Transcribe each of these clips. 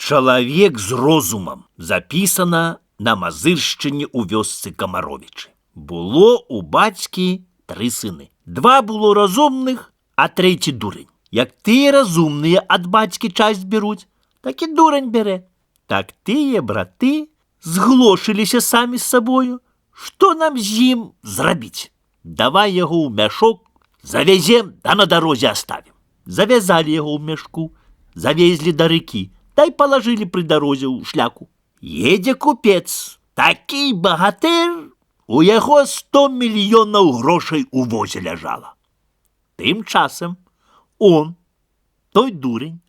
Чалавек з розумам. Запісана на Мазыршчыне ў вёсцы Камаровічы. Было у бацькі 3 сыны. 2 было разумных, а 3 дурень. Як тыя разумныя ад бацькі часць беруць, так і дурень бярэ. Так тыя браты зглошыліся самі з сабою. Што нам з ім зрабіць? Давай яго ў мяшок, завязем, да на дарозе аставім. Завязалі яго ў мяшку, завезлі да рэкі, дай палажылі пры дарозе ў шляку. Едзе купец, такі багатыр, у яго 100 мільёнаў грошай у возе ляжала. Тым часам он, той дурень,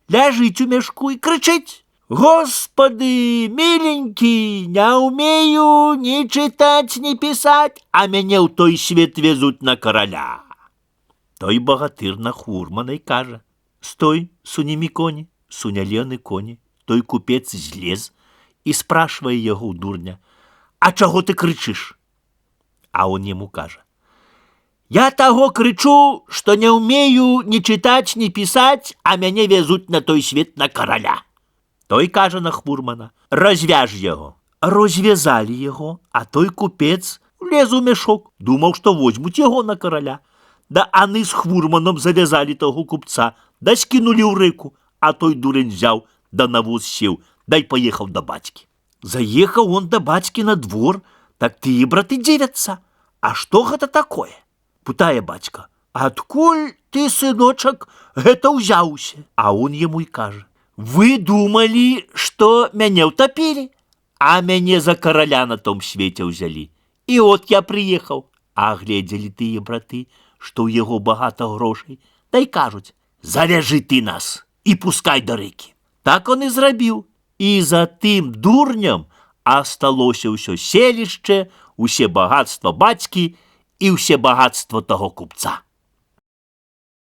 ляжыць у мяшку і крычыць: «Господи, миленький, не умею ни читать, ни писать, а мяне ў той свет везуть на короля». Той багатыр на хурмана й кажа: «Стой, сунімі коні». Сунялені коні. Той купец злез і спрашивае яго ў дурня: «А чаго ты крычыш?» А он яму кажа: «Я таго крычу, што не умею ни читать, ни писать, а мяне везуть на той свет на короля». Той кажа на хурмана: «Развяж яго». Развязалі яго, а той купец лез у мяшок, думаў, што возьмуць яго на короля. Да аны з хурманом завязалі таго купца, да скінулі ў рэку, а той дурень взяў, да на воз сеў, дай паехаў да бацькі. Заехаў он да бацькі на двор, так тыя браты дзівяцца: «А што гэта такое?» Пытае бацька: «Адкуль ты, сыночак, гэта ўзяўся?» А он яму і кажа: «Вы думалі, што мяне ўтапілі, а мяне за короля на том свеце ўзялі. І от я прыехаў». А гледзелі тыя браты, што ў яго багата грошай, дай кажуць: «Завяжы ты нас і пускай да рэкі». Так он і зрабіў. І за тым дурням асталося ўсё селішча, усе багатства бацькі і ўсе багатства таго купца.